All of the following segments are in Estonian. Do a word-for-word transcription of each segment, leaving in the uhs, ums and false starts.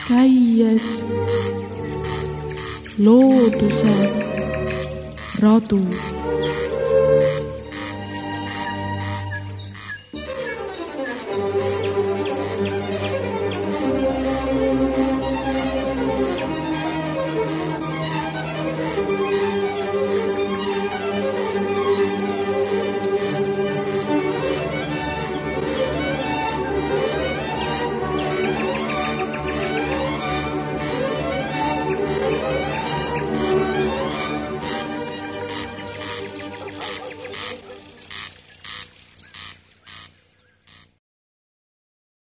käies looduse radu.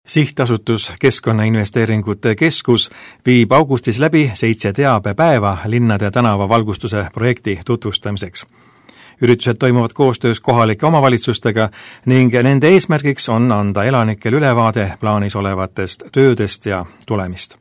Sihtasutus Keskkonnainvesteeringute Keskus viib augustis läbi seitse teabepäeva linnade tänavavalgustuse projekti tutvustamiseks. Üritused toimuvad koostöös kohalike omavalitsustega ning nende eesmärgiks on anda elanikel ülevaade plaanis olevatest töödest ja tulemist.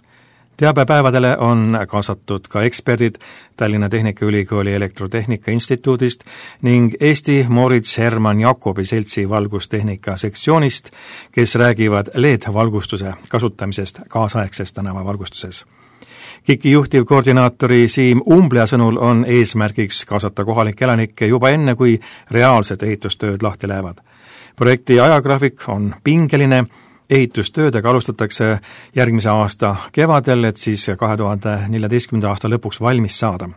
Teabepäevadele on kaasatud ka eksperdid Tallinna Tehnikaülikooli Elektrotehnika Instituudist ning Eesti Moritz Hermann Jakobi seltsi valgustehnika sektsioonist, kes räägivad L E D-valgustuse kasutamisest kaasaegses tänavavalgustuses. KIK-i juhtivkoordinaatori Siim Umblea sõnul on eesmärgiks kaasata kohalikke elanikke juba enne, kui reaalsed ehitustööd lahti lähevad. Projekti ajagraafik on pingeline. Ehitustöödega alustatakse järgmise aasta kevadel, et siis kahe tuhande neljateistkümnenda aasta lõpuks valmis saada.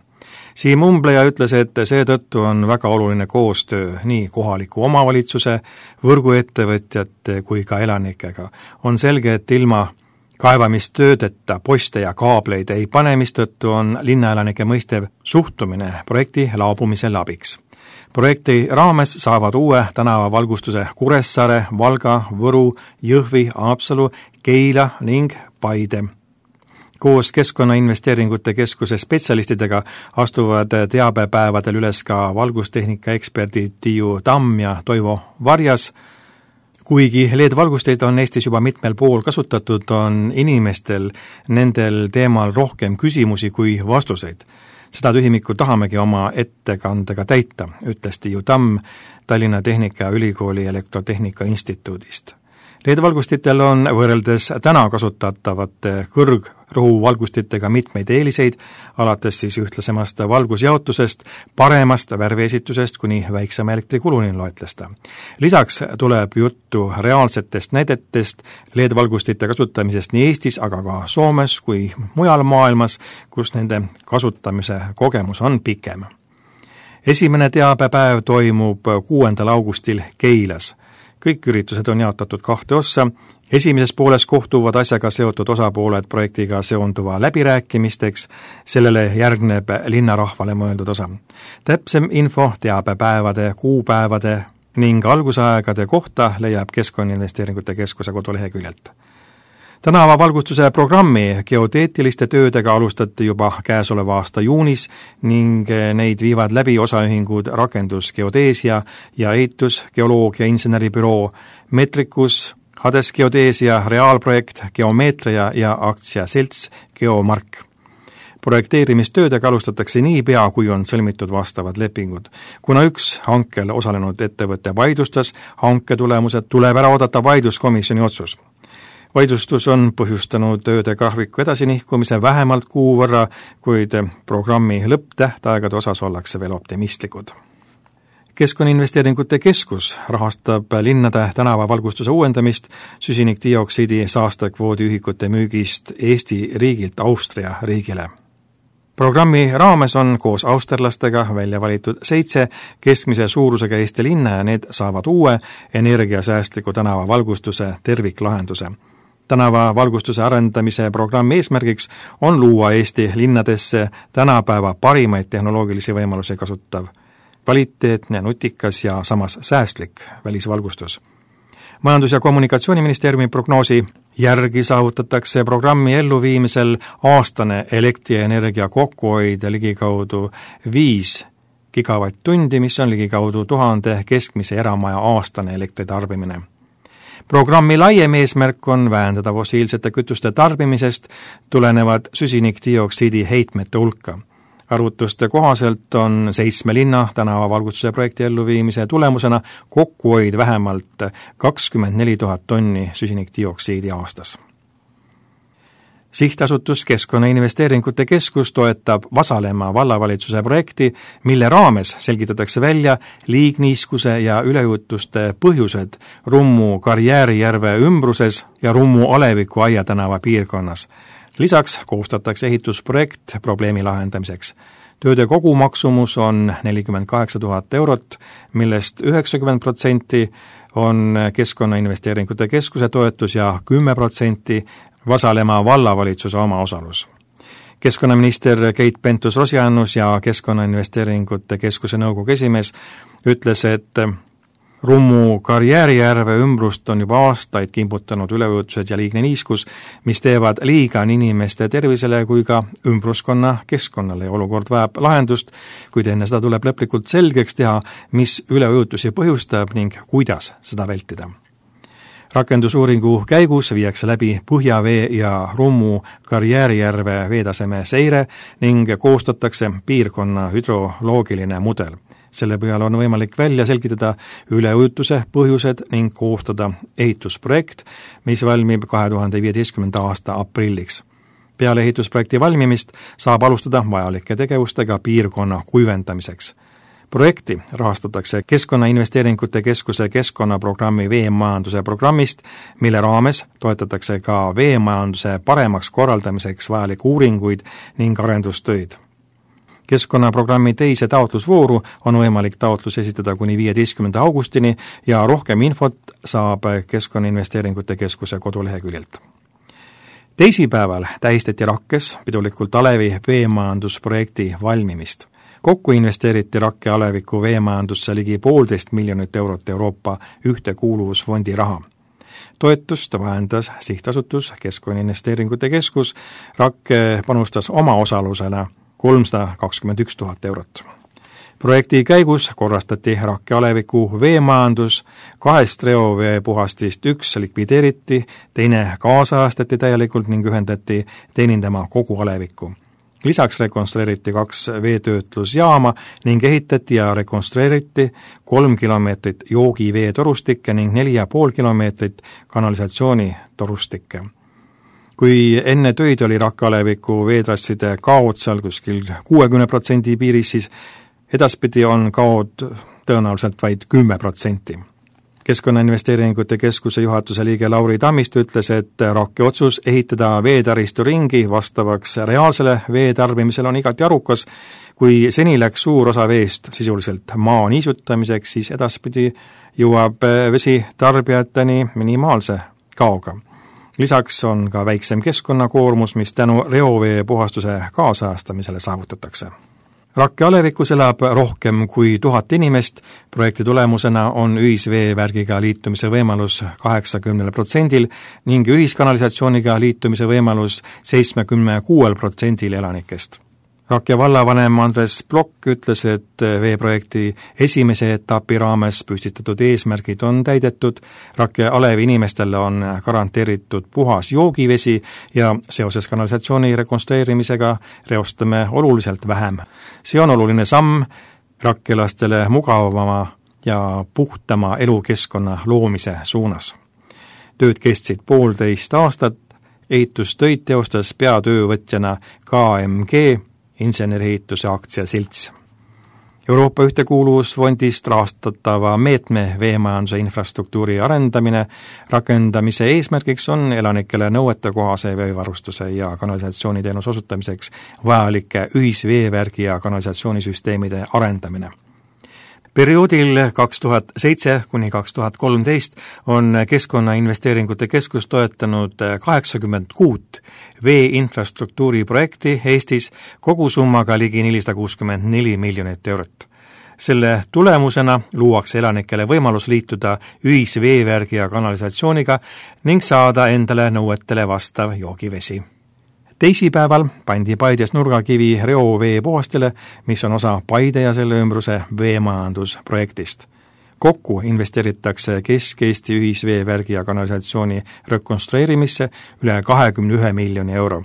Siim Umbleja ütles, et seetõttu on väga oluline koostöö nii kohaliku omavalitsuse, võrguettevõtjate kui ka elanikega. On selge, et ilma kaevamistöödeta poste ja kaableid ei pane, mistõttu on linnaelanike mõistev suhtumine projekti laabumisel abiks. Projekti raames saavad uue tänavavalgustuse Kuressaare, Valga, Võru, Jõhvi, Haapsalu, Keila ning Paide. Koos Keskkonnainvesteeringute Keskuse spetsialistidega astuvad teabepäevadel üles ka valgustehnika eksperdid Tiiu Tamm ja Toivo Varjas. Kuigi L E D-valgusteid on Eestis juba mitmel pool kasutatud, on inimestel nendel teemal rohkem küsimusi kui vastuseid. Seda tühimikku tahamegi oma ettekandega täita, ütles Tiiu Tamm Tallinna Tehnikaülikooli Elektrotehnika Instituudist. L E D-valgustitel on võrreldes täna kasutatavate kõrgrõhuvalgustitega mitmeid eeliseid, alates siis ühtlasemast valgusjaotusest, paremast värviesitusest kuni väiksema elektrikuluni loetlesta. Lisaks tuleb juttu reaalsetest näidetest L E D-valgustite kasutamisest nii Eestis, aga ka Soomes kui mujal maailmas, kus nende kasutamise kogemus on pikem. Esimene teabepäev toimub kuuendal augustil Keilas. Kõik üritused on jaotatud kahte ossa. Esimeses pooles kohtuvad asjaga seotud osapooled projektiga seonduva läbirääkimisteks, sellele järgneb linnarahvale mõeldud osa. Täpsem info teabepäevade, kuupäevade ning algusaegade kohta leiab Keskkonnainvesteeringute Keskuse koduleheküljelt. Tänavavalgustuse programmi geoteetiliste töödega alustati juba käesoleva aasta juunis ning neid viivad läbi osaühingud Rakendusgeodeesia ja Ehitusgeoloogia inseneribüroo Metrikus, Hades Geodeesia, Reaalprojekt, Geomeetria ja aktsiaselts Geomark. Projekteerimistöödega alustatakse nii pea, kui on sõlmitud vastavad lepingud. Kuna üks hankel osalenud ettevõtte vaidlustas hanke tulemused, tuleb ära oodata vaidluskomisjoni otsus. Vaidlustus on põhjustanud tööde graafiku edasinihkumise vähemalt kuu võrra, kuid programmi lõpptähtaegade osas ollakse veel optimistlikud. Keskkonnainvesteeringute Keskus rahastab linnade tänavavalgustuse uuendamist süsinikdioksiidi saastekvoodi ühikute müügist Eesti riigilt Austria riigile. Programmi raames on koos austerlastega välja valitud seitse keskmise suurusega Eesti linna ja need saavad uue energiasäästliku tänavavalgustuse terviklahenduse. Tänavavalgustuse arendamise programmi eesmärgiks on luua Eesti linnadesse tänapäeva parimaid tehnoloogilisi võimalusi kasutav, kvaliteetne, nutikas ja samas säästlik välisvalgustus. Majandus- ja Kommunikatsiooniministeeriumi prognoosi järgi saavutatakse programmi elluviimisel aastane elektrienergia kokkuhoid ligikaudu viis gigavatt-tundi, mis on ligikaudu tuhande keskmise eramaja aastane elektritarbimine. Programmi laiem eesmärk on vähendada fossiilsete kütuste tarbimisest tulenevad süsinikdioksiidi heitmete hulka. Arvutuste kohaselt on seitsme linna tänavavalgustuse projekti elluviimise tulemusena kokkuhoid vähemalt kakskümmend neli tuhat tonni süsinikdioksiidi aastas. Sihtasutus Keskkonnainvesteeringute Keskus toetab Vasalemma vallavalitsuse projekti, mille raames selgitatakse välja liigniiskuse ja üleujutuste põhjused Rummu Karjäärijärve ümbruses ja Rummu Aleviku Aia tänava piirkonnas. Lisaks koostatakse ehitusprojekt probleemi lahendamiseks. Tööde kogumaksumus on nelikümmend kaheksa tuhat eurot, millest üheksakümmend protsenti on Keskkonnainvesteeringute Keskuse toetus ja kümme protsenti Vasalemma vallavalitsuse omaosalus. Keskkonnaminister Keit Pentus-Rosimannus ja Keskkonnainvesteeringute Keskuse nõukogu esimees ütles, et Rummu Karjäärijärve ümbrust on juba aastaid kimbutanud üleujutused ja liigne niiskus, mis teevad liiga nii inimeste tervisele kui ka ümbruskonna keskkonnale ja olukord vajab lahendust, kuid enne seda tuleb lõplikult selgeks teha, mis üleujutusi põhjustab ning kuidas seda vältida. Rakendusuuringu käigus viiakse läbi Põhjavee ja Rummu Karjäärijärve veetaseme seire ning koostatakse piirkonna hüdroloogiline mudel. Selle põhjal on võimalik välja selgitada üleujutuse põhjused ning koostada ehitusprojekt, mis valmib kahe tuhande viieteistkümnenda aasta aprilliks. Peale ehitusprojekti valmimist saab alustada vajalike tegevustega piirkonna kuivendamiseks. Projekti rahastatakse Keskkonnainvesteeringute Keskuse keskkonnaprogrammi veemajanduse programmist, mille raames toetatakse ka veemajanduse paremaks korraldamiseks vajalikke uuringuid ning arendustöid. Keskkonnaprogrammi teise taotlusvooru on võimalik taotlus esitada kuni viieteistkümnenda augustini ja rohkem infot saab Keskkonnainvesteeringute Keskuse koduleheküljelt. Teisipäeval tähistati Rakkes pidulikult Alevi veemajandusprojekti valmimist. Kokku investeeriti Rakke Aleviku veemajandusse ligi poolteist miljonit eurot Euroopa ühtekuuluvusfondi raha. Toetust vahendas sihtasutus Keskkonnainvesteeringute Keskus, Rakke panustas oma osalusena kolmsada kakskümmend üks tuhat eurot. Projekti käigus korrastati Rakke Aleviku veemajandus, kahest reoveepuhastist üks likvideeriti, teine kaasajastati täielikult ning ühendati teenindama kogu Alevikku. Lisaks rekonstrueeriti kaks veetöötlusjaama ning ehitati ja rekonstrueeriti kolm kilomeetrit joogiveetorustikke ning neli ja pool kilomeetrit kanalisatsioonitorustikke. Kui enne töid oli Rakke Aleviku veetrasside kaod seal kuskil kuuekümne protsendi piiris, siis edaspidi on kaod tõenäoliselt vaid kümme protsenti. Keskkonnainvesteeringute Keskuse juhatuse liige Lauri Tammist ütles, et Rakke otsus ehitada veetaristu ringi vastavaks reaalsele veetarbimisele on igati arukas. Kui seni läks suur osa veest sisuliselt maa niisutamiseks, siis edaspidi jõuab vesi tarbijateni minimaalse kaoga. Lisaks on ka väiksem keskkonnakoormus, mis tänu reovee puhastuse kaasajastamisele saavutatakse. Rakke Alevikus elab rohkem kui tuhat inimest, projekti tulemusena on ühisveevärgiga liitumise võimalus kaheksakümnel protsendil ning ühiskanalisatsiooniga liitumise võimalus seitsmekümne kuuel protsendil elanikest. Rakke vallavanem Andres Plokk ütles, et veeprojekti esimese etapi raames püstitatud eesmärgid on täidetud, Rakke Alevi inimestele on garanteeritud puhas joogivesi ja seoses kanalisatsiooni rekonstrueerimisega reostame oluliselt vähem. See on oluline samm rakkelastele mugavama ja puhtama elukeskkonna loomise suunas. Tööd kestsid poolteist aastat, ehitustöid teostas peatöövõtjana K M G insenerihituse aktsiaselts. Euroopa ühtekuuluvusfondist rahastatava meetme veemajanduse infrastruktuuri arendamine rakendamise eesmärgiks on elanikele nõuetekohase veevarustuse ja kanalisatsiooniteenuse osutamiseks vajalike ühisveevärgi ja kanalisatsioonisüsteemide arendamine. Perioodil kaks tuhat seitse kuni kaks tuhat kolmteist on Keskkonnainvesteeringute Keskus toetanud kaheksakümmend kuut veeinfrastruktuuri projekti Eestis kogusummaga ligi nelisada kuuskümmend neli miljonit eurot. Selle tulemusena luuakse elanikele võimalus liituda ühisveevärgi ja kanalisatsiooniga ning saada endale nõuetele vastav joogivesi. Teisipäeval pandi Paides nurgakivi reovee puhastele, mis on osa Paide ja selle ümbruse veemajandusprojektist. Kokku investeeritakse Kesk-Eesti ühisveevärgi ja kanalisatsiooni rekonstrueerimisse üle kahekümne ühe miljoni euro.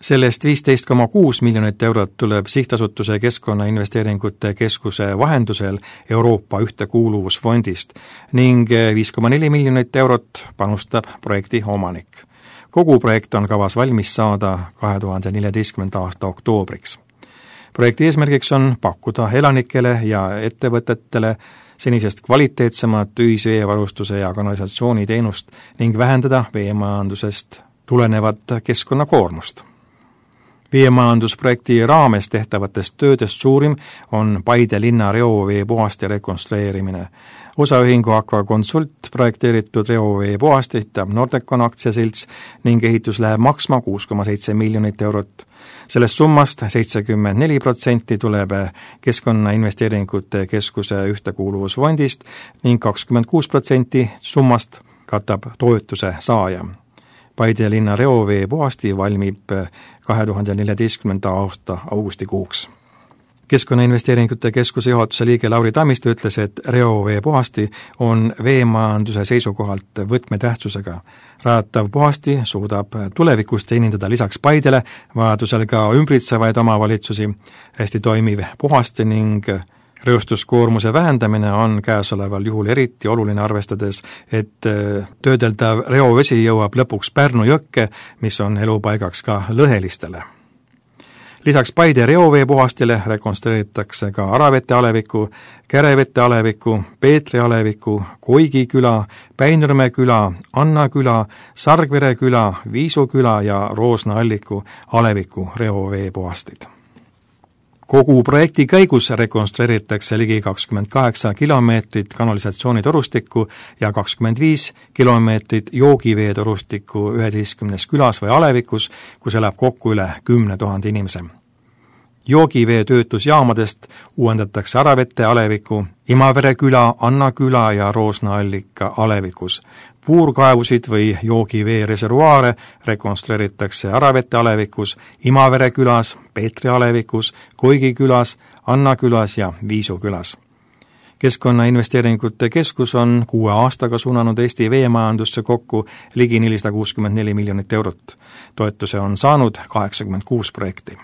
Sellest viisteist koma kuus miljonit eurot tuleb sihtasutuse Keskkonnainvesteeringute Keskuse vahendusel Euroopa ühtekuuluvusfondist ning viis koma neli miljonit eurot panustab projekti omanik. Kogu projekt on kavas valmis saada kahe tuhande neljateistkümnenda aasta oktoobriks. Projekti eesmärgiks on pakkuda elanikele ja ettevõtetele senisest kvaliteetsemat ühisveevarustuse ja kanalisatsiooniteenust ning vähendada veemajandusest tulenevat keskkonnakoormust. Veemajandusprojekti raames tehtavatest töödest suurim on Paide linna reovee puhaste rekonstrueerimine. Osaühingu Aquaconsult projekteeritud reovee puhast ehitab Nordecon aktsiaselts ning ehitus läheb maksma kuus koma seitse miljonit eurot. Sellest summast seitsekümmend neli protsenti tuleb Keskkonnainvesteeringute Keskuse ühtekuuluvusfondist ning kakskümmend kuus protsenti summast katab toetuse saaja. Paide linna reovee puhasti valmib kahe tuhande neljateistkümnenda aasta augustikuuks. Keskkonnainvesteeringute Keskuse juhatuse liige Lauri Tammistu ütles, et reovee puhasti on veemajanduse seisukohalt võtmetähtsusega. Rajatav puhasti suudab tulevikus teenindada lisaks Paidele vajadusel ka ümbritsevaid omavalitsusi, hästi toimiv puhasti ning reostuskoormuse vähendamine on käesoleval juhul eriti oluline arvestades, et töödeldav reovesi jõuab lõpuks Pärnu jõkke, mis on elupaigaks ka lõhelistele. Lisaks Paide reovee puhastile rekonstrueeritakse ka Aravete aleviku, Kärevete aleviku, Peetri aleviku, Koigi küla, Päinurme küla, Anna küla, Sargvere küla, Viisu küla ja Roosna alliku aleviku reovee puhastid. Kogu projekti käigus rekonstrueeritakse ligi kakskümmend kaheksa kilomeetrit kanalisatsioonitorustikku ja kakskümmend viis kilomeetrit joogiveetorustikku üheteistkümnes külas või alevikus, kus elab kokku üle kümne tuhande inimese. Joogivee töötlusjaamadest uuendatakse Aravete aleviku, Imavere küla, Anna küla ja Roosna allika alevikus. Puurkaevusid või joogivee reservuaare rekonstrueeritakse Aravete alevikus, Imavere külas, Peetri alevikus, Koigi külas, Anna külas ja Viisu külas. Keskkonnainvesteeringute Keskus on kuue aastaga suunanud Eesti veemajandusse kokku ligi nelisada kuuskümmend neli miljonit eurot. Toetuse on saanud kaheksakümmend kuus projekti.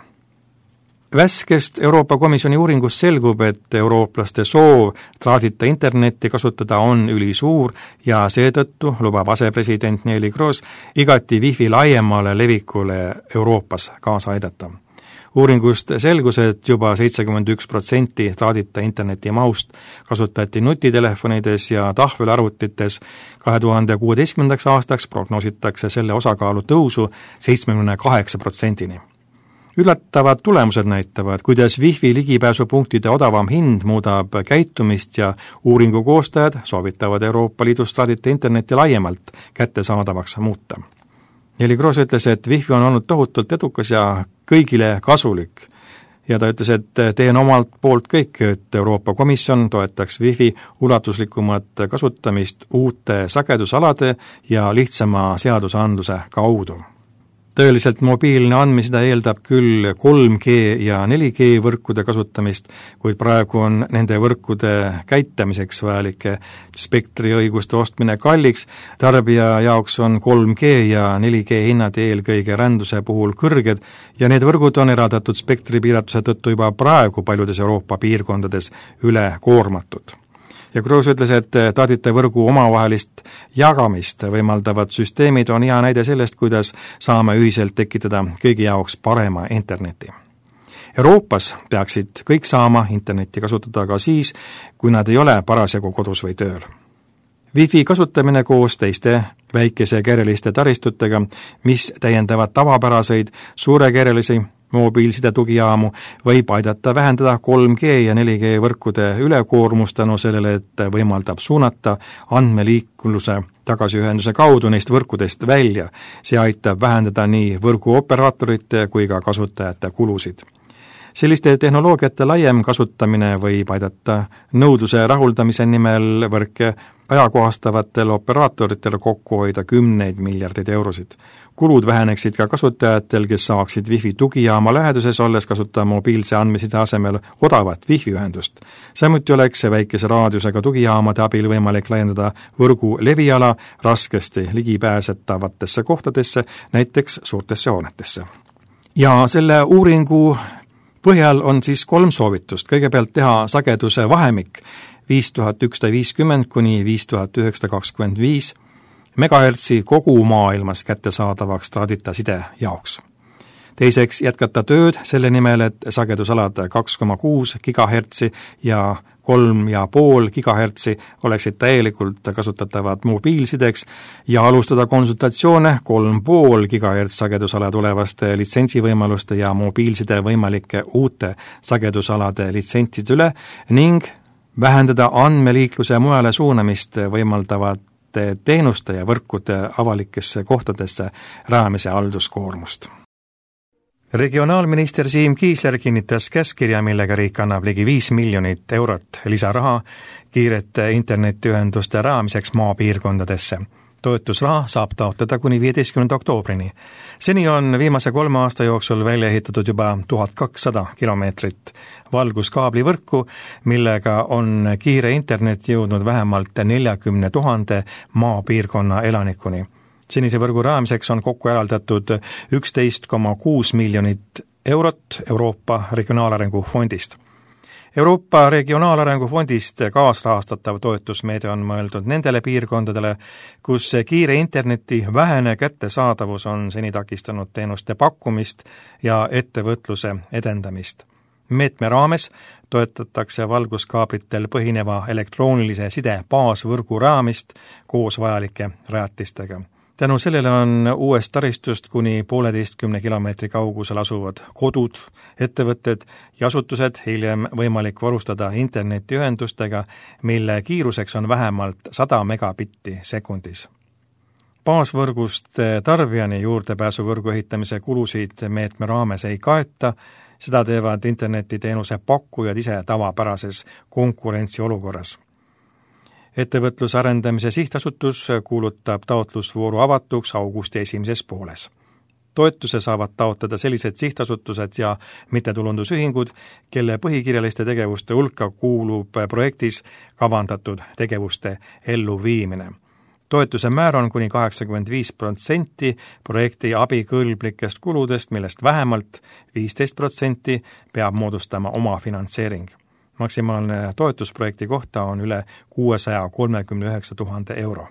Värskest Euroopa Komisjoni uuringust selgub, et eurooplaste soov traadita internetti kasutada on ülisuur ja seetõttu lubab asepresident Neeli Kroos igati wifi laiemale levikule Euroopas kaasa aidata. Uuringust selgus, et juba seitsekümmend üks protsenti traadita interneti mahust kasutati nutitelefonides ja tahvelarvutites. kahe tuhande kuueteistkümnendaks aastaks prognoositakse selle osakaalu tõusu seitsmekümne kaheksa protsendini. Üllatavad tulemused näitavad, kuidas wifi ligipääsupunktide odavam hind muudab käitumist ja uuringu koostajad soovitavad Euroopa Liidus traadita internetti laiemalt kättesaadavaks muuta. Neeli Kroos ütles, et wifi on olnud tohutult edukas ja kõigile kasulik. Ja ta ütles, et teen omalt poolt kõik, et Euroopa Komisjon toetaks wifi ulatuslikumat kasutamist uute sagedusalade ja lihtsama seadusandluse kaudu. Tõeliselt mobiilne andmeside eeldab küll kolm G ja neli G võrkude kasutamist, kuid praegu on nende võrkude käitamiseks vajalike spektriõiguste ostmine kalliks. Tarbija jaoks on kolm G ja neli G hinnad eelkõige ränduse puhul kõrged ja need võrgud on eraldatud spektripiiratuse tõttu juba praegu paljudes Euroopa piirkondades üle koormatud. Ja Kroos ütles, et traadita võrgu omavahelist jagamist võimaldavad süsteemid on hea näide sellest, kuidas saame ühiselt tekitada kõigi jaoks parema interneti. Euroopas peaksid kõik saama internetti kasutada ka siis, kui nad ei ole parasjagu kodus või tööl. Wifi kasutamine koos teiste väikesekereliste taristutega, mis täiendavad tavapäraseid suurekerelisi mobiilside tugijaamu, võib aidata vähendada kolm G ja neli G võrkude ülekoormust tänu sellele, et võimaldab suunata andmeliikluse tagasiühenduse kaudu neist võrkudest välja. See aitab vähendada nii võrguoperaatorite kui ka kasutajate kulusid. Selliste tehnoloogiate laiem kasutamine võib aidata nõudluse rahuldamise nimel võrke ajakohastavatel operaatoritel kokku hoida kümneid miljardeid eurosid. Kulud väheneksid ka kasutajatel, kes saaksid wifi tugijaama läheduses olles kasutada mobiilse andmeside asemel odavat wifi ühendust. Samuti oleks väikese raadiusega tugijaamade abil võimalik laiendada võrgu leviala raskesti ligipääsetavatesse kohtadesse, näiteks suurtesse hoonetesse. Ja selle uuringu põhjal on siis kolm soovitust. Kõigepealt teha sageduse vahemik viis tuhat ükssada viiskümmend kuni viis tuhat üheksasada kakskümmend viis megahertsi kogu maailmas kättesaadavaks traadita side jaoks. Teiseks jätkata tööd selle nimel, et sagedusalad kaks koma kuus gigahertsi ja kolm ja pool gigahertsi oleksid täielikult kasutatavad mobiilsideks ja alustada konsultatsioone kolm pool gigahertsi sagedusala tulevaste litsentsivõimaluste ja mobiilside võimalike uute sagedusalade litsentside üle ning vähendada andmeliikluse mujale suunamist võimaldavate teenuste ja võrkude avalikesse kohtadesse rajamise halduskoormust. Regionaalminister Siim Kiisler kinnitas käskkirja, millega riik annab ligi viis miljonit eurot lisaraha kiirete internetiühenduste rajamiseks maapiirkondadesse. Toetusraha saab taotleda kuni viieteistkümnenda oktoobrini. Seni on viimase kolme aasta jooksul välja ehitatud juba tuhat kakssada kilomeetrit valguskaablivõrku, millega on kiire internet jõudnud vähemalt neljakümne tuhande maapiirkonna elanikuni. Senise võrgu rajamiseks on kokku eraldatud üksteist koma kuus miljonit eurot Euroopa Regionaalarengu Fondist. Euroopa Regionaalarengu Fondist kaasrahastatav toetusmeede on mõeldud nendele piirkondadele, kus kiire interneti vähene kättesaadavus on seni takistanud teenuste pakkumist ja ettevõtluse edendamist. Meetme raames toetatakse valguskaablitel põhineva elektroonilise side baasvõrgu rajamist koos vajalike rajatistega. Tänu sellele on uuest taristust kuni pooleteistkümne kilomeetri kaugusel asuvad kodud, ettevõtted ja asutused hiljem võimalik varustada internetiühendustega, mille kiiruseks on vähemalt sada megabitti sekundis. Baasvõrgust tarbijani juurdepääsuvõrgu ehitamise kulusid meetme raames ei kaeta, seda teevad internetiteenuse pakkujad ise tavapärases konkurentsiolukorras. Ettevõtluse arendamise sihtasutus kuulutab taotlusvooru avatuks augusti esimeses pooles. Toetuse saavad taotleda sellised sihtasutused ja mittetulundusühingud, kelle põhikirjaliste tegevuste hulka kuulub projektis kavandatud tegevuste elluviimine. Toetuse määr on kuni kaheksakümmend viis protsenti projekti abikõlblikest kuludest, millest vähemalt viisteist protsenti peab moodustama oma finantseering. Maksimaalne toetusprojekti kohta on üle kuuesaja kolmekümne üheksa tuhande euro.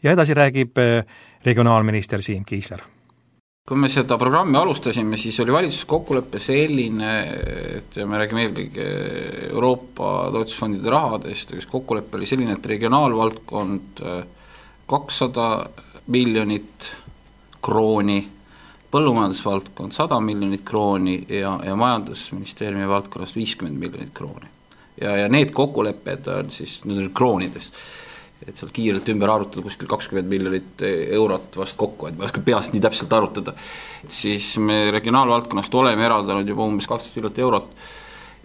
Ja edasi räägib regionaalminister Siim Kiisler. Kui me seda programmi alustasime, siis oli valitsus kokkuleppe selline, et me räägime eelkõige Euroopa toetusfondide rahadest, kes kokkuleppe oli selline, et regionaalvaldkond kakssada miljonit krooni, põllumajandusvaldkond sada miljonit krooni ja, ja majandusministeeriumi valdkonnast viiskümmend miljonit krooni. Ja, ja need kokkulepped on siis nüüd kroonides, et seal kiirelt ümber arutada kuskil kakskümmend miljonit eurot vast kokku, et ma oska peast nii täpselt arutada. Siis me regionaalvaldkonnast oleme eraldanud juba umbes kaksteist miljonit eurot.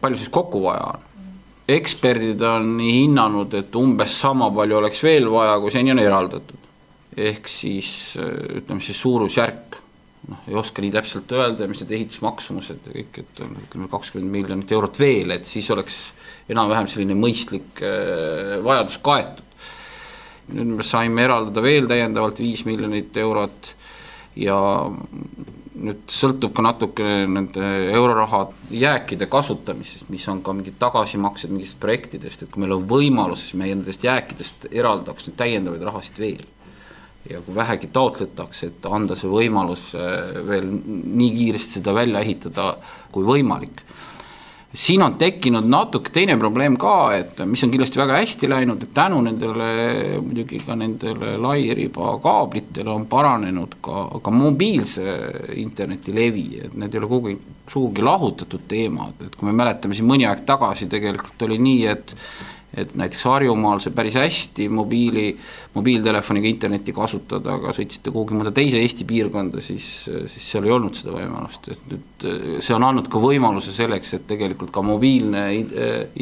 Palju siis kokku vaja on? Eksperdid on nii hinnanud, et umbes sama palju oleks veel vaja, kui seni on eraldatud. Ehk siis, ütleme siis suurusjärk. No, ei oska nii täpselt öelda, mis need ehitusmaksumused ja kõik, et on kakskümmend miljonit eurot veel, et siis oleks enam-vähem selline mõistlik vajadus kaetud. Nüüd me saime eraldada veel täiendavalt viis miljonit eurot ja nüüd sõltub ka natuke nende euroraha jääkide kasutamisest, mis on ka mingid tagasimaksed mingist projektidest, et kui meil on võimalus, siis meie nendest jääkidest eraldaks nüüd täiendavaid rahasid veel. Ja kui vähegi taotletakse, et anda see võimalus veel nii kiiresti seda välja ehitada kui võimalik. Siin on tekkinud natuke teine probleem ka, et mis on kindlasti väga hästi läinud, et tänu nendele, muidugi ka nendele lairiba kaablitele on paranenud ka, ka mobiilse interneti levi, et need ei ole kogu suugi lahutatud teemad, et kui me mäletame siin mõni aeg tagasi tegelikult oli nii, et et näiteks Harjumaal see päris hästi mobiili, mobiiltelefoniga interneti kasutada, aga sõitsite kuhugi mõnda teise Eesti piirkonda, siis, siis seal ei olnud seda võimalust. Et nüüd see on andnud ka võimaluse selleks, et tegelikult ka mobiilne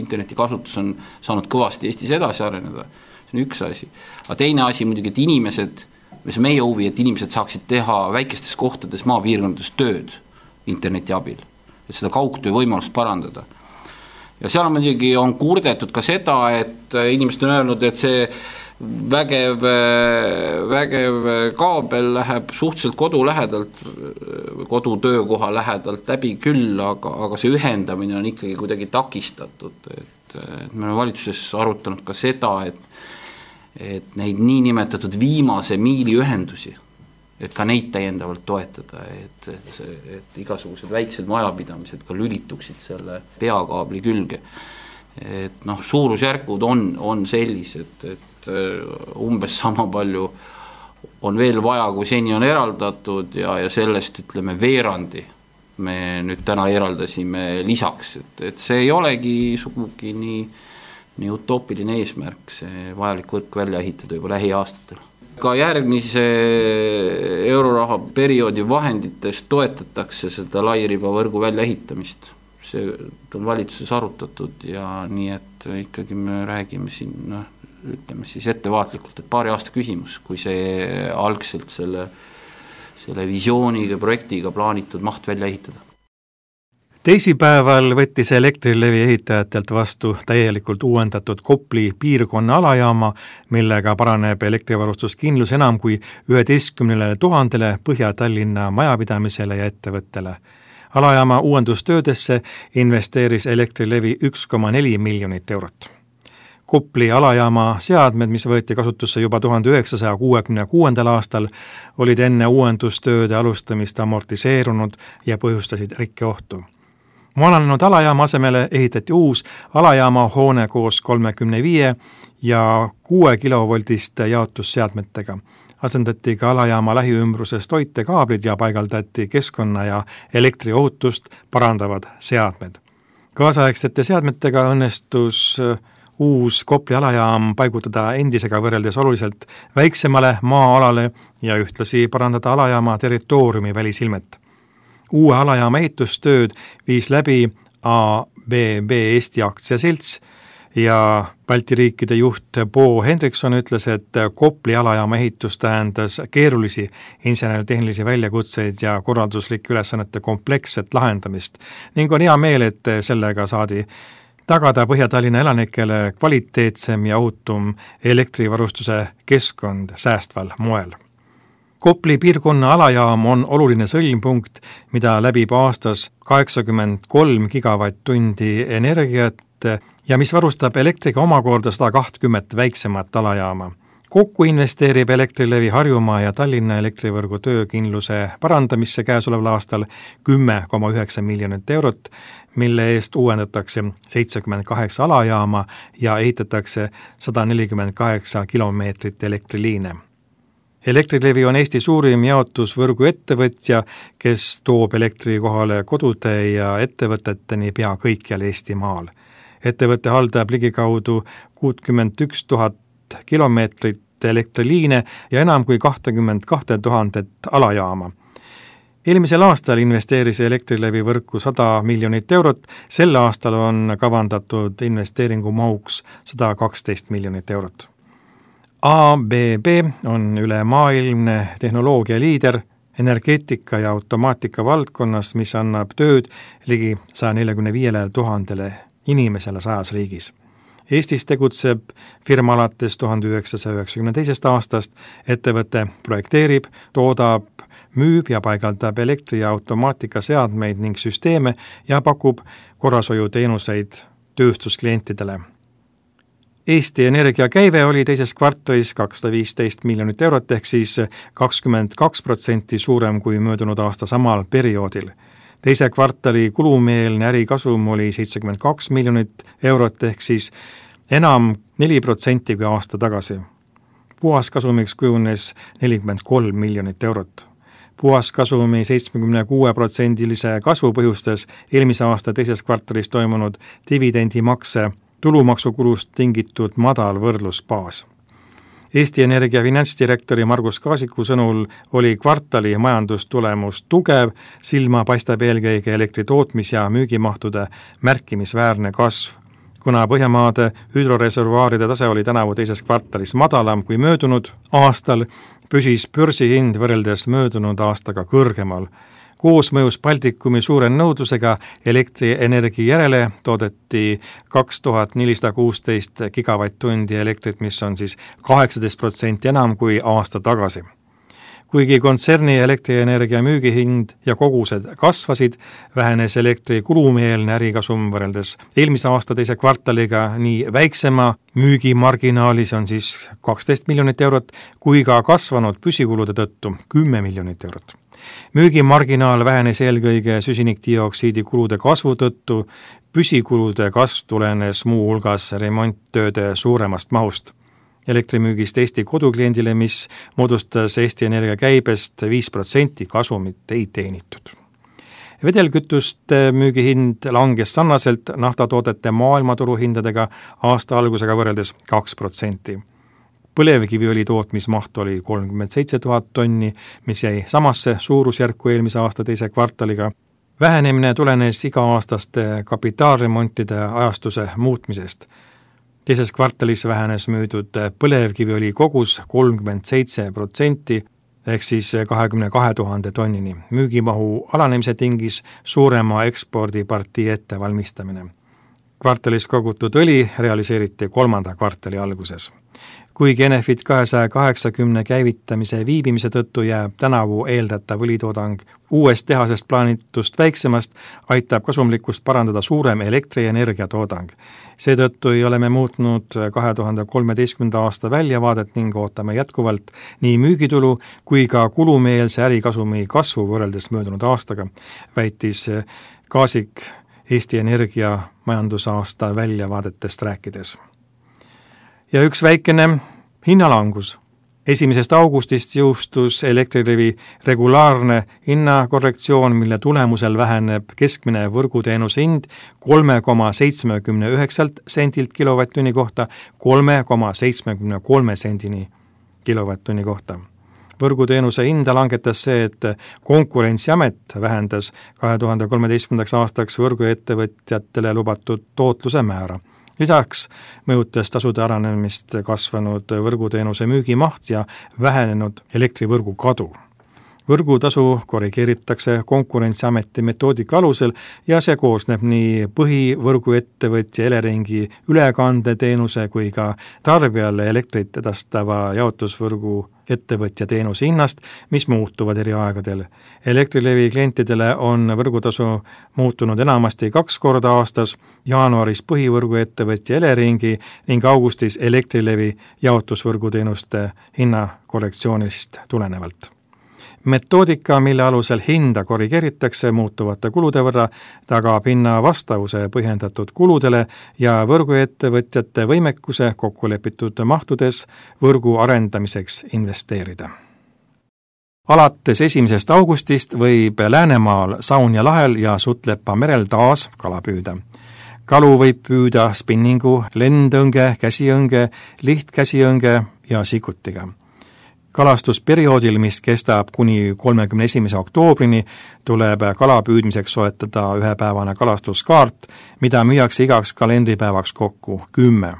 interneti kasutus on saanud kõvasti Eestis edasi areneda. See on üks asi. Aga teine asi muidugi, et inimesed, mis on meie huvi, et inimesed saaksid teha väikestes kohtades maapiirkondades tööd interneti abil, et seda kaugtöö võimalust parandada. Ja seal on muidugi on kurdetud ka seda, et inimesed on öelnud, et see vägev, vägev kaabel läheb suhteliselt kodu lähedalt, kodu töökoha lähedalt läbi küll, aga, aga see ühendamine on ikkagi kuidagi takistatud. Et, et me oleme valitsuses arutanud ka seda, et et neid niinimetatud viimase miili ühendusi, et ka neid täiendavalt toetada, et, et, et igasugused väiksed majapidamised ka lülituksid selle peakaabli külge. Et noh, suurusjärgud on, on sellised, et umbes sama palju on veel vaja, kui seni on eraldatud ja, ja sellest ütleme veerandi me nüüd täna eraldasime lisaks, et, et see ei olegi sugugi nii, nii utoopiline eesmärk, see vajalik võrk välja ehitada juba lähiaastatel. Ka järgmise euroraha perioodi vahenditest toetatakse seda lairibavõrgu välja ehitamist. See on valitsuses arutatud ja nii, et ikkagi me räägime siin, noh, ütleme siis ettevaatlikult, et paari aasta küsimus, kui see algselt selle, selle visiooniga, projektiga plaanitud maht välja ehitada. Teisipäeval võttis Elektrilevi ehitajatelt vastu täielikult uuendatud Kopli piirkonna alajaama, millega paraneb elektrivarustuskindlus enam kui üheteistkümnele tuhandele Põhja-Tallinna majapidamisele ja ettevõttele. Alajaama uuendustöödesse investeeris Elektrilevi üks koma neli miljonit eurot. Kopli alajaama seadmed, mis võeti kasutusse juba tuhande üheksasaja kuuekümne kuuendal aastal, olid enne uuendustööde alustamist amortiseerunud ja põhjustasid rikkeohtu. Vananenud alajaama asemele ehitati uus alajaama hoone koos kolmekümne viie ja kuue kilovoltiste jaotusseadmetega. Asendati ka alajaama lähiümbruses toitekaablid ja paigaldati keskkonna ja elektriohutust parandavad seadmed. Kaasaegsete seadmetega õnnestus uus Kopli alajaam paigutada endisega võrreldes oluliselt väiksemale maa-alale ja ühtlasi parandada alajaama territooriumi välisilmet. Uue alajaama ehitustööd viis läbi A B B Eesti aktsiaselts ja Balti riikide juht Bo Hendrikson ütles, et Kopli alajaama ehitus tähendas keerulisi inseneritehnilisi väljakutseid ja korralduslike ülesannete kompleksset lahendamist ning on hea meel, et sellega saadi tagada Põhja-Tallinna elanikele kvaliteetsem ja ohutum elektrivarustuse keskkond säästval moel. Kopli piirkonna alajaam on oluline sõlmpunkt, mida läbib aastas kaheksakümmend kolm gigavatt-tundi energiat ja mis varustab elektriga omakorda sada kakskümmend väiksemat alajaama. Kokku investeerib Elektrilevi Harjumaa ja Tallinna elektrivõrgu töökindluse parandamisse käesoleval aastal kümme koma üheksa miljonit eurot, mille eest uuendatakse seitsekümmend kaheksa alajaama ja ehitatakse sada nelikümmend kaheksa kilomeetrit elektriliine. Elektrilevi on Eesti suurim jaotusvõrgu ettevõtja, kes toob elektri kohale kodude ja ettevõteteni pea kõikjal Eestimaal. Ettevõte haldab ligikaudu kuuskümmend üks tuhat kilomeetrit elektriliine ja enam kui kakskümmend kaks tuhandet alajaama. Eelmisel aastal investeeris Elektrilevi võrku sada miljonit eurot, sel aastal on kavandatud investeeringu mahuks sada kaksteist miljonit eurot. A B B on ülemaailmne tehnoloogia liider energeetika ja automaatika valdkonnas, mis annab tööd ligi saja neljakümne viiele tuhandele inimesele sajas riigis. Eestis tegutseb firma alates tuhande üheksasaja üheksakümne teisest aastast, ettevõte projekteerib, toodab, müüb ja paigaldab elektri- ja automaatika seadmeid ning süsteeme ja pakub korrashoiuteenuseid tööstusklientidele. Eesti Energia käive oli teises kvartalis kakssada viisteist miljonit eurot ehk siis kakskümmend kaks protsenti suurem kui möödunud aasta samal perioodil. Teise kvartali kulumeelne ärikasum oli seitsekümmend kaks miljonit eurot ehk siis enam neli protsenti kui aasta tagasi. Puhaskasumiks kujunes nelikümmend kolm miljonit eurot. Puhaskasumi seitsmekümne kuue protsendilise kasvu põhjustas eelmise aasta teises kvartalis toimunud dividendimakse tulumaksukulust tingitud madal võrdlusbaas. Eesti Energia finantsdirektori Margus Kaasiku sõnul oli kvartali majandustulemus tugev, silma paistab eelkõige elektritootmis- ja müügimahtude märkimisväärne kasv. Kuna Põhjamaade hüdroreservuaaride tase oli tänavu teises kvartalis madalam kui möödunud aastal, püsis börsihind võrreldes möödunud aastaga kõrgemal. Koosmõjus Baltikumi suure nõudlusega elektrienergia järele toodeti kaks tuhat nelisada kuusteist gigavatt-tundi elektrit, mis on siis kaheksateist protsenti enam kui aasta tagasi. Kuigi kontserni elektrienergia müügihind ja kogused kasvasid, vähenes elektri kulumeelne ärikasum võrreldes eelmise aasta teise kvartaliga nii väiksema müügimarginaali, see on siis kaksteist miljonit eurot, kui ka kasvanud püsikulude tõttu kümme miljonit eurot. Müügimarginaal vähenes eelkõige süsinikdioksiidi kulude kasvu tõttu, püsikulude kasv tulenes muu hulgas remonttööde suuremast mahust. Elektrimüügist Eesti kodukliendile, mis moodustas Eesti Energia käibest viis protsenti kasumit ei teenitud. Vedelkütuste müügihind langes sarnaselt naftatoodete maailmaturuhindadega aasta algusega võrreldes kaks protsenti. Põlevkiviõli tootmismaht oli kolmkümmend seitse tuhat tonni, mis jäi samasse suurusjärku eelmise aasta teise kvartaliga. Vähenemine tulenes iga-aastaste kapitaalremontide ajastuse muutmisest. Teises kvartalis vähenes müüdud põlevkiviõli kogus kolmkümmend seitse protsenti ehk siis kahekümne kahe tuhande tonnini. Müügimahu alanemise tingis suurema ekspordipartii ettevalmistamine. Kvartalis kogutud õli realiseeriti kolmanda kvartali alguses. Kuigi Enefit kahesaja kaheksakümne käivitamise viibimise tõttu jääb tänavu eeldatav õlitoodang uuest tehasest plaanitust väiksemast, aitab kasumlikkust parandada suurem elektrienergia toodang. Seetõttu ei ole me muutnud kahe tuhande kolmeteistkümnenda aasta väljavaadet ning ootame jätkuvalt nii müügitulu kui ka kulumeelse ärikasumi kasvu võrreldes möödunud aastaga, väitis Kaasik Eesti Energia majandusaasta väljavaadetest rääkides. Ja üks väikene hinnalangus. Esimesest augustist jõustus Elektrilevi regulaarne hinnakorrektsioon, mille tulemusel väheneb keskmine võrguteenuse hind kolme koma seitsmekümne üheksalt sendilt kilovatt-tunni kohta kolme koma seitsmekümne kolme sendini kilovatt-tunni kohta. Võrguteenuse hinda langetas see, et Konkurentsiamet vähendas kahe tuhande kolmeteistkümnendaks aastaks võrguettevõtjatele lubatud tootluse määra. Lisaks mõjutas tasude aranemist kasvanud võrguteenuse müügimaht ja vähenenud elektrivõrgu kadu. Võrgutasu korrigeeritakse Konkurentsiameti metoodika alusel ja see koosneb nii põhivõrguettevõtja Eleringi ülekandeteenuse kui ka tarbijale elektrit edastava jaotusvõrgu ettevõtja teenuse hinnast, mis muutuvad eri aegadel. Elektrilevi klientidele on võrgutasu muutunud enamasti kaks korda aastas, jaanuaris põhivõrguettevõtja Eleringi ning augustis Elektrilevi jaotusvõrguteenuste hinnakorrektsioonist tulenevalt. Metoodika, mille alusel hinda korrigeeritakse muutuvate kulude võrra, tagab hinna vastavuse põhjendatud kuludele ja võrguettevõtjate võimekuse kokkulepitud mahtudes võrgu arendamiseks investeerida. Alates esimesest augustist võib Läänemaal Saunja lahel ja Sutlepa merel taas kala püüda. Kalu võib püüda spinningu, lendõnge, käsiõnge, lihtkäsiõnge ja sikutiga. Kalastusperioodil, mis kestab kuni kolmekümne esimese oktoobrini, tuleb kala püüdmiseks soetada ühepäevane kalastuskaart, mida müüakse igaks kalendripäevaks kokku kümme.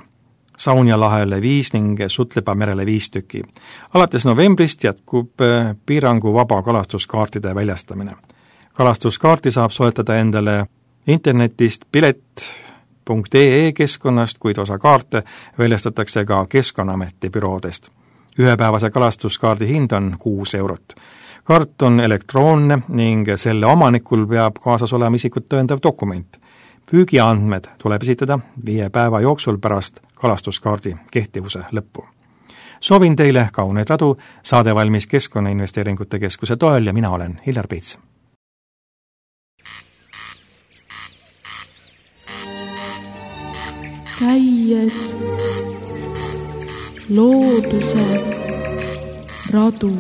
Saunja lahele viis ning Sutlepa merele viis tüki. Alates novembrist jätkub piiranguvaba kalastuskaartide väljastamine. Kalastuskaarti saab soetada endale internetist pilet punkt ee keskkonnast, kuid osa kaarte väljastatakse ka Keskkonnaameti büroodest. Ühepäevase kalastuskaardi hind on kuus eurot. Kaart on elektroonne ning selle omanikul peab kaasas olema isikut tõendav dokument. Püügiandmed tuleb esitada viie päeva jooksul pärast kalastuskaardi kehtivuse lõppu. Soovin teile kauneid radu, saade valmis Keskkonnainvesteeringute Keskuse toel ja mina olen Hillar Peits. Käies looduse radu.